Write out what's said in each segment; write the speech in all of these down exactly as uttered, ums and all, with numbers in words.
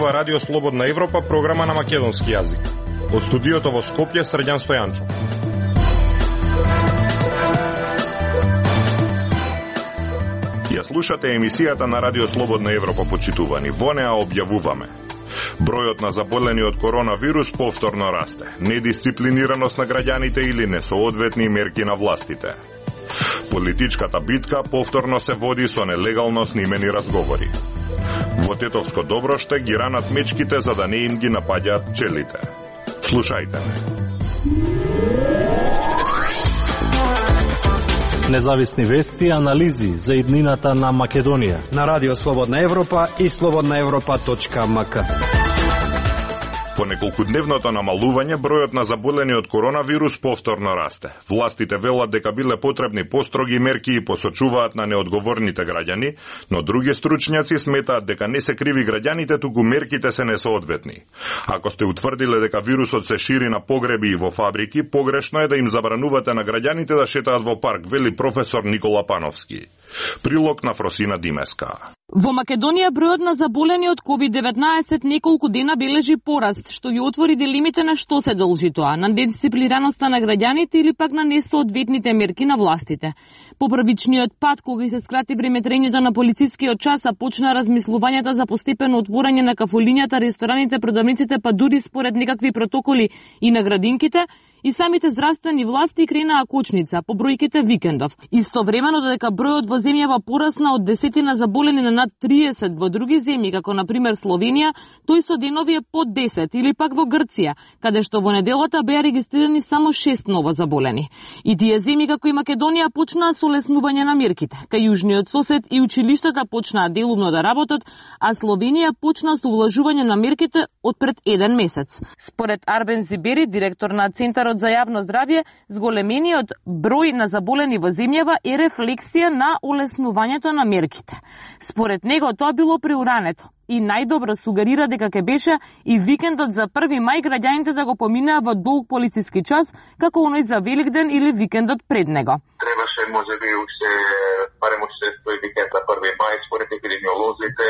ова Радио Слободна Европа, програма на македонски јазик. Од студиото во Скопје, Срđan Стојанчов. Ја слушате емисијата на Радио Слободна Европа, почитувани. Во неа објавуваме: бројот на заболени од коронавирус повторно расте, недисциплинираност на граѓаните или несоодветни мерки на властите. Политичката битка повторно се води со нелегално снимени разговори. Во Тетовско Доброште ги ранат мечките за да не им ги напаѓаат пчелите. Слушајте ме. Независни вести и анализи за иднината на Македонија на Радио Слободна Европа и слободна европа точка ем ка. По неколкудневното намалување, бројот на заболени од коронавирус повторно расте. Властите велат дека биле потребни построги мерки и посочуваат на неодговорните граѓани, но други стручњаци сметаат дека не се криви граѓаните, туку мерките се несоодветни. Ако сте утврдиле дека вирусот се шири на погреби и во фабрики, погрешно е да им забранувате на граѓаните да шетаат во парк, вели професор Никола Пановски. Прилог на Фросина Димеска. Во Македонија бројот на заболени од ковид деветнаесет неколку дена бележи пораст, што ги отвори дилемите на што се должи тоа, на недисциплинираноста на граѓаните или пак на несоодветните мерки на властите. По првичниот пат, кога се скрати времетрењето на полицискиот час, а почна размислувањата за постепено отворање на кафулињата, рестораните, продавниците, па дури според некакви протоколи и на градинките, и самите здравствени власти кренаа кочница по бројките викендов. Истовремено додека бројот во земјава порасна од десетина заболени на над триесет во други земји, како на пример Словенија, тој со денови е под десет, или пак во Грција, каде што во неделата беа регистрирани само шест ново заболени. И тие земји како и Македонија почнаа со леснување на мерките. Кај јужниот сосед и училиштата почнаа делумно да работат, а Словенија почна со увлажување на мерките од пред еден месец. Според Арбен Зибери, директор на Центарот за јавно здравје, зголемениот број на заболени во земјава е рефлексија на олеснувањето на мерките. Според него тоа било преурането и најдобро сугерира дека ќе беше и викендот за први мај граѓаните да го поминаа во долг полициски час, како оној за Великден или викендот пред него. Требаше можеби уште барем уште тој викенд за први мај според епидемиолозите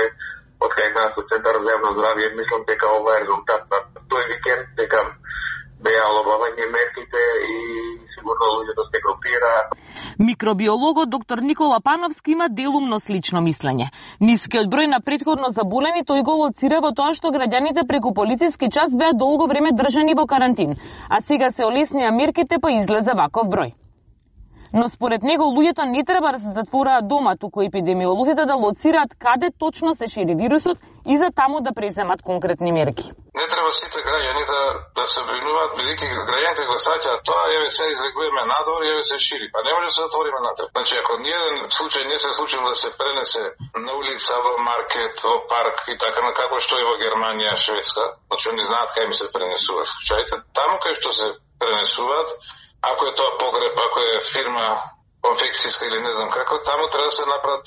од кај нас од Центарот за јавно здравје. Мислам дека ова е резултат на тој викенд, дека беа олабавање мерките и сигурно луѓето се групираат. Микробиологот доктор Никола Пановски има делумно слично мислење. Нискиот број на претходно заболени тој го лоцира во тоа што граѓаните преку полициски час беа долго време држани во карантин, а сега се олеснија мерките па излезе ваков број. Но според него луѓето не треба да се затвораат дома, туку епидемиолозите да лоцираат каде точно се шири вирусот и за таму да преземат конкретни мерки. Не треба сите граѓани да, да се бринуваат, бидејќи граѓаните го саќаат тоа, еве се излегуваме надвор и еве се шири. Па не може да се затвориме натаму. Значи, ако ниеден случај не се случил да се пренесе на улица, во маркет, во парк и така на како што е во Германија, Шведска, значи они знаат кај ми се пренесуваат случаите, таму кај што се пренесуваат, ако е тоа погреб, ако е фирма конфекцијска или не знам како, таму треба да се направат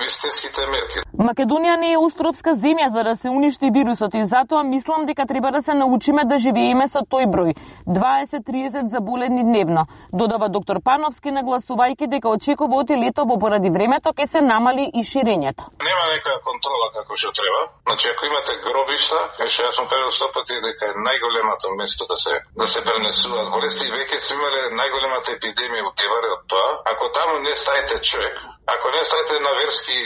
вистинските мерки. Македонија не е островска земја за да се уништи вирусот и затоа мислам дека треба да се научиме да живееме со тој број дваесет до триесет заболени дневно, додава доктор Пановски, нагласувајќи дека очекуваат и летово поради времето ќе се намали и ширењето. Нема некоја контрола како што треба. Значи ако имате гробишта, што јас сум кажал сто пати дека е најголемото место да се да се пренесуваат болести, веќе сме имале најголемата епидемија во Геваре од тоа. Ако таму не ставите човек, ако не ставите на верски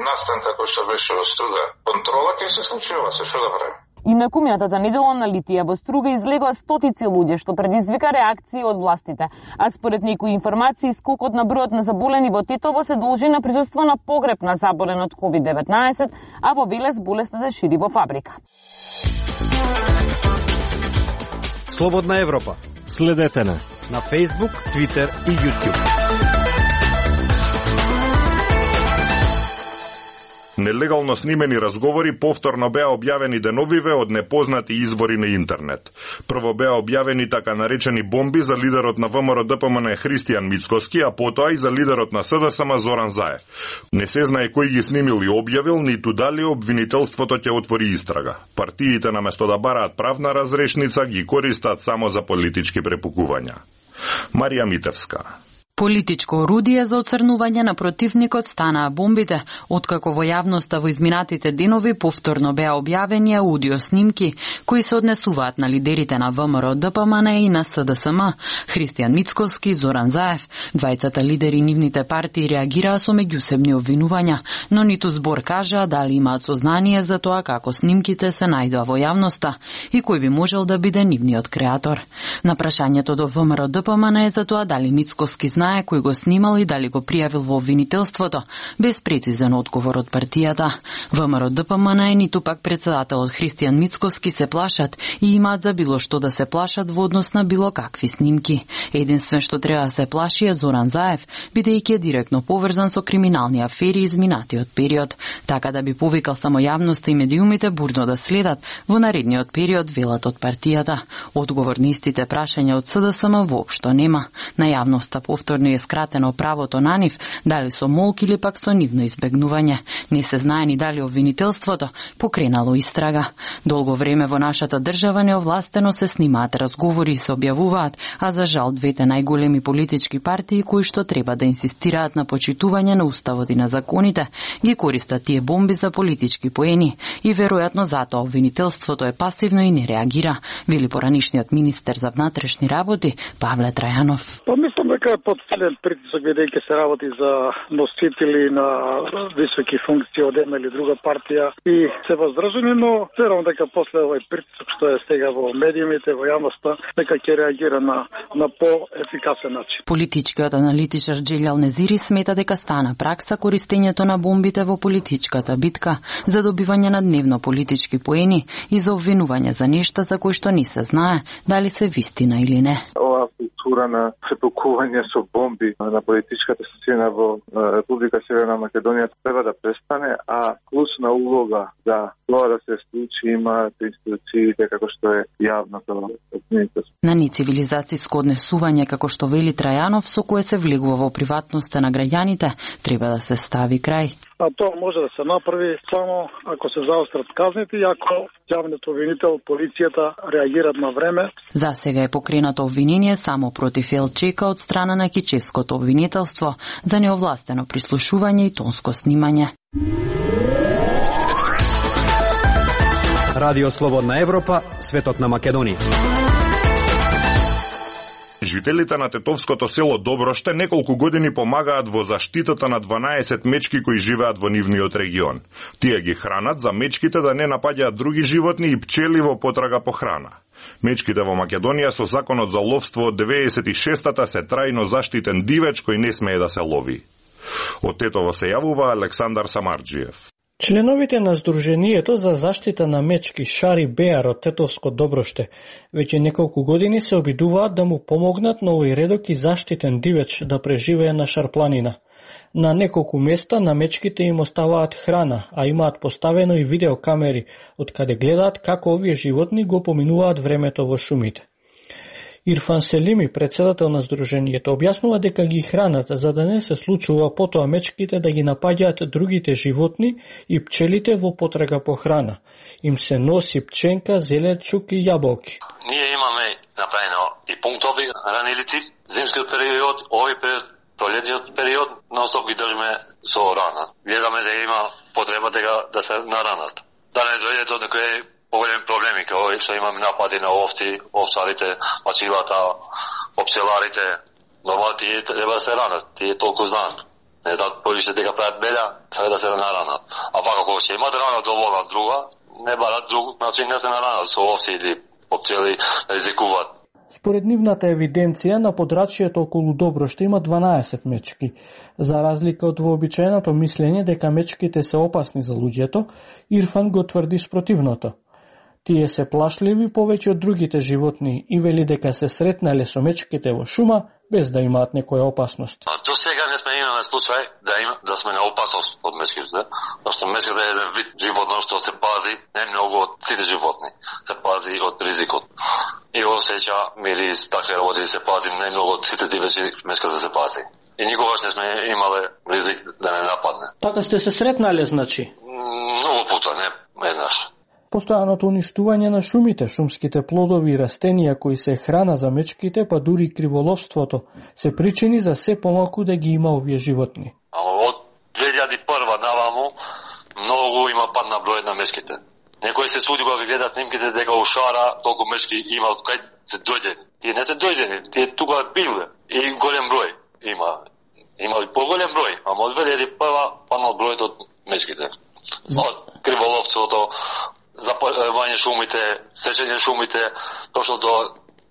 настан како што беше во Струга, контрола ќе се случи ова, се што да правим. И на кумијатата недела на Литија во Струга излегоа стотици луѓе, што предизвика реакции од властите. А според некои информации, скокот на бројот на заболени во Тетово се должи на присуство на погреб на заболен од ковид деветнаесет, а во Велес болеста се шири во фабрика. Слободна Европа. Следете на на Facebook, Twitter и YouTube. Нелегално снимени разговори повторно беа објавени деновиве од непознати извори на интернет. Прво беа објавени така наречени бомби за лидерот на ВМРО Д П М Н Христијан Мицкоски, а потоа и за лидерот на С Д С М Зоран Заев. Не се знае кој ги снимил и објавил, ниту дали обвинителството ќе отвори истрага. Партиите наместо да бараат правна разрешница ги користат само за политички препукувања. Марија Митевска. Политичко орудие за оцрнување на противникот станаа бомбите, откако во јавноста во изминатите денови повторно беа објавени аудио снимки кои се однесуваат на лидерите на ВМРО Д П М Н и на С Д С М, Христијан Мицкоски и Зоран Заев. Двајцата лидери нивните партии реагираа со меѓусебни обвинувања, но ниту збор кажаа дали имаат сознание за тоа како снимките се најдоа во јавноста и кој би можел да биде нивниот креатор. На прашањето до В М Р Д П М Н за тоа дали Мицкоски знае кој го снимал и дали го пријавил во обвинителството, без прецизен одговор од партијата. В М Р Д П М Н ниту пак председателот Христијан Мицкоски се плашат и имаат за било што да се плашат во однос на било какви снимки. Единствен што треба да се плаши е Зоран Заев, бидејќи е директно поврзан со криминални афери изминатиот период, така да би повикал само јавноста и медиумите бурно да следат во наредниот период, велат од партијата. Одговор на истите прашања од С Д С М воопшто нема. На јавноста повторно е скратено правото на нив, дали со молк или пак со нивно избегнување. Не се знае ни дали обвинителството покренало истрага. Долго време во нашата држава неовластено се снимаат разговори и се објавуваат, а за жал двете најголеми политички партии кои што треба да инсистираат на почитување на уставот и на законите, ги користат тие бомби за политички поени и веројатно затоа обвинителството е пасивно и не реагира, вели поранишниот министер за внатрешни работи Павле Трајанов. Па мислам дека е подсилен притисок, бидејќи се работи за носители на високи функции од една или друга партија и се воздржани, но верувам дека после овој притисок што е сега во медиумите, во јавноста, дека ќе реагира на на поефикасен начин. Политичкиот аналитичар Джелјал Незири смета дека стана пракса користењето на бомбите во политичката битка за добивање на дневно политички поени и за обвинување за нешта за кои што не се знае дали се вистина или не. Ова култура на препукување со бомби на политичката сцена во Република Северна Македонија треба да престане, а клучна улога за тоа да се случи имаат институциите како што е јавното обвинителство. На нецивилизацијско однесување, како што вели Трајанов, со кое се влегува во приватноста на граѓаните, треба да се стави крај. А тоа може да се направи само ако се заострат казните и ако јавниот обвинител, полицијата реагират на време. За сега е покренато обвинение само против Елчека од страна на Кичевското обвинителство за неовластено прислушување и тонско снимање. Радио Слободна Европа, светот на Македонија. Жителите на тетовското село Доброште неколку години помагаат во заштитата на дванаесет мечки кои живеат во нивниот регион. Тие ги хранат за мечките да не напаѓаат други животни и пчели во потрага по храна. Мечките во Македонија со законот за ловство од деветдесет и шестата се трајно заштитен дивеч кој не смее да се лови. Од Тетово се јавува Александар Самарџиев. Членовите на Сдруженијето за заштита на мечки Шари Беар од Тетовско Доброште веќе неколку години се обидуваат да му помогнат на овој редок и заштитен дивеч да преживее на Шарпланина. На неколку места на мечките им оставаат храна, а имаат поставено и видеокамери, од каде гледаат како овие животни го поминуваат времето во шумите. Ирфан Селими, председател на Сдруженијето, објаснува дека ги хранат за да не се случува потоа мечките да ги напаѓаат другите животни и пчелите во потрага по храна. Им се носи пченка, зеленчук и јаболки. Ние имаме направено и пунктови хранилици, зимскиот период, овој период, пролетниот период, нонстоп ги држиме со рана. Гледаме да има потреба дека да се наранат. Да не дојде до некој поголеми проблеми, како што имаме напади на овци, овцарите, мачилата, опселарите. Нормално тие треба да се ранат, тие толку знаат. Не знаат повише дека прават беда, треба да се наранат. А пак ако ќе имат рана доволна друга, не барат друг начин да се наранат со овци или опцели да ризикуваат. Според нивната евиденција, на подрачјето околу Доброште има дванаесет мечки. За разлика од вообичаеното мислење дека мечките се опасни за луѓето, Ирфан го тврди спротивното. Тие се плашливи повеќе од другите животни и вели дека се сретнале со мечките во шума без да имаат некоја опасност. До сега не сме имале случај да има да сме на опасност од мечките, зашто мечките е еден вид животно што се пази не многу од сите животни, се пази од ризикот. И осеќа мирис, такви работи се пази не многу од сите дивечи, мечката се пази. И никогаш не сме имале ризик да не нападне. Така сте се сретнале, значи? Многу пута, не еднаш. Постојаното уништување на шумите, шумските плодови и растенија кои се храна за мечките, па дури криволовството, се причини за се помалку да ги има овие животни. Од две илјади и прва наваму многу има пад на бројот на мечките. Некој се суди кога ги гледа снимките дека у шара толку мечки има од кај се дојдени. Тие не се дојдени, тие тука биле и голем број има. Има и поголем број, ама од две илјади и прва паднал бројот од мечките. Од криволовството, запалување шумите, сечење шумите, точно до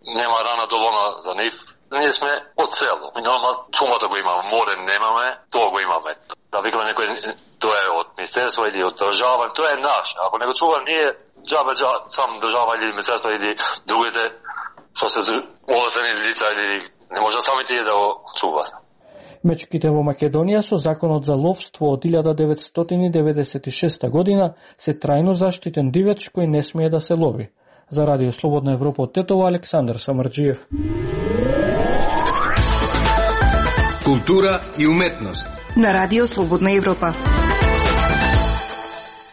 нема рана доволна за нив. Ние сме од село. Нормално шумата го имаме, море немаме, тоа го имаме. Да викаме некој тоа е од министерство или од држава, тоа е наш. Ако не го чува ние, џабе џабе сам држава или министерство или другите што се овластени лица или не може самите да го чуваат. Мечките во Македонија со законот за ловство од илјада деветстотини деветдесет и шеста година се трајно заштитен дивеч кој не смее да се лови. За Радио Слободна Европа од Тетово, Александар Самарџиев. Култура и уметност на Радио Слободна Европа.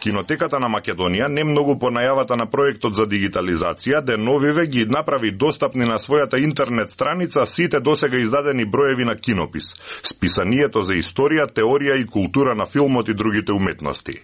Кинотеката на Македонија не многу по најавата на проектот за дигитализација деновиве ги направи достапни на својата интернет страница сите досега издадени броеви на кинопис, списанието за историја, теорија и култура на филмот и другите уметности.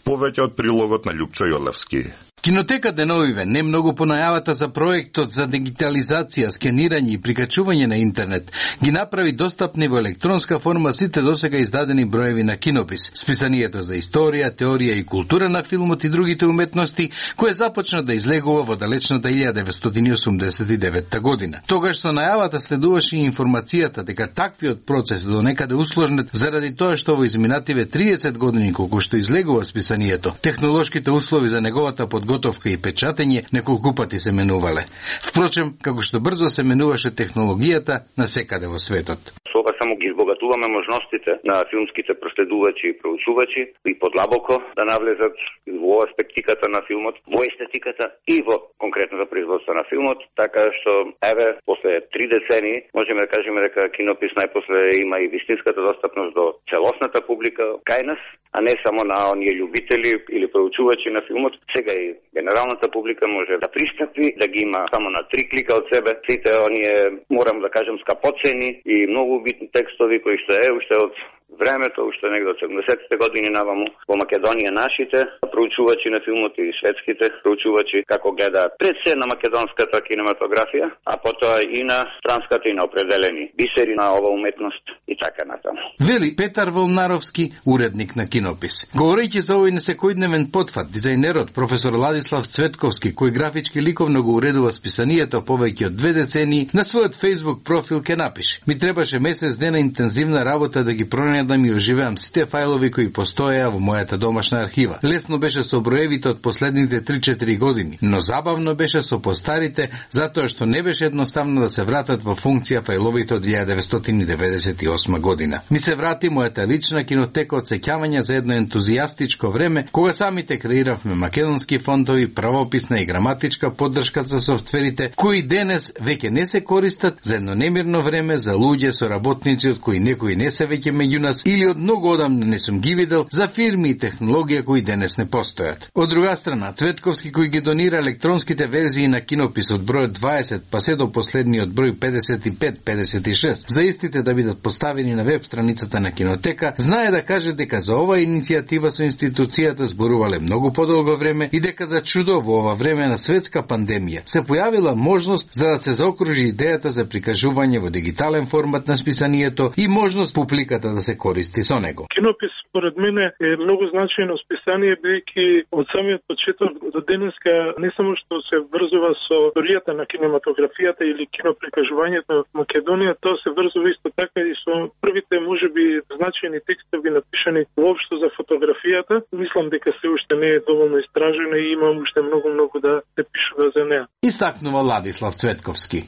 Повеќе од прилогот на Љупчо Јолевски. Кинотека деновиве не многу по најавата за проектот за дигитализација, скенирање и прикачување на интернет ги направи достапни во електронска форма сите досега издадени броеви на кинопис, списанието за историја, теорија и култура на филмот и другите уметности, кое започна да излегува во далечната илјада деветстотини осумдесет и девета година. Тогаш со најавата следуваше и информацијата дека таквиот процес до некаде усложнет заради тоа што во изминативе триесет години колку што излегува списанието, технолошките услови за неговата подготовка и печатење неколку пати се менувале. Впрочем, како што брзо се менуваше технологијата насекаде во светот. Со ова само ги избогатуваме можностите на филмските проследувачи и проучувачи и подлабоко да навлезат во аспектиката на филмот, во естетиката и во конкретната производство на филмот, така што еве после три децении можеме да кажеме дека кинопис најпосле има и вистинската достапност до целосната публика кај нас, а не само на оние љубители или проучувачи на филмот. Сега и генералната публика може да пристапи, да ги има само на три клика од себе. Сите оние, морам да кажем, скапоцени и многу битни текстови кои што е уште од времето, уште негде од седумдесетите години наваму во Македонија нашите проучувачи на филмот и светските проучувачи како гледаат пред се на македонската кинематографија, а потоа и на странската и на определени бисери на ова уметност и така натаму. Вели Петар Волнаровски, уредник на Кинопис. Говорејќи за овој несекојдневен потфат, дизајнерот професор Ладислав Цветковски, кој графички ликовно го уредува списанието повеќе од две децении, на својот Facebook профил ке напише: ми требаше месец дена интензивна работа да ги пронајдам и оживеам сите фајлови кои постоеа во мојата домашна архива. Лесно беше со броевите од последните три-четири години, но забавно беше со постарите, затоа што не беше едноставно да се вратат во функција фајловите од илјада деветстотини деветдесет и осма година. Ми се врати мојата лична кинотека од сеќавања за едно ентузијастичко време, кога самите креиравме македонски фонтови, правописна и граматичка поддршка за софтверите, кои денес веќе не се користат за едно немирно време за луѓе со работници од кои некои не се веќе меѓу нас или од многу одамна не сум ги видел, за фирми и технологија кои денес не постојат. Од друга страна, Цветковски кој ги донира електронските верзии на Кинопис од број дваесет па се до последниот број педесет и пет педесет и шест, за истите да бидат поставени на веб страницата на Кинотека, знае да каже дека за ова иницијатива со институцијата зборувале многу подолго време и дека за чудо во ова време на светска пандемија се појавила можност за да се заокружи идејата за прикажување во дигитален формат на списанието и можност публиката да се користи со него. Кинопис според мене е многу значајно списание, бидејќи од самиот почеток до денеска не само што се врзува со историјата на кинематографијата или киноприкажувањето во Македонија, тоа се врзува исто така и со првите можеби значајни текстови напишани воопшто за фотографијата. Мислам дека се уште не е доволно истражено и имам уште многу многу да се пишува за неа. Истакнува Ладислав Цветковски.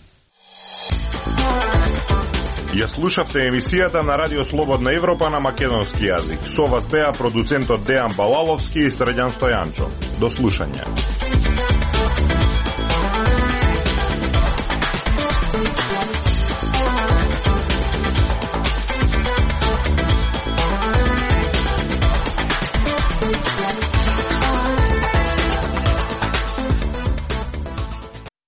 Ја слушавте емисијата на Радио Слободна Европа на македонски јазик. Со вас беа продуцентот Дејан Балаловски и Срđan Стојанчо. До слушање.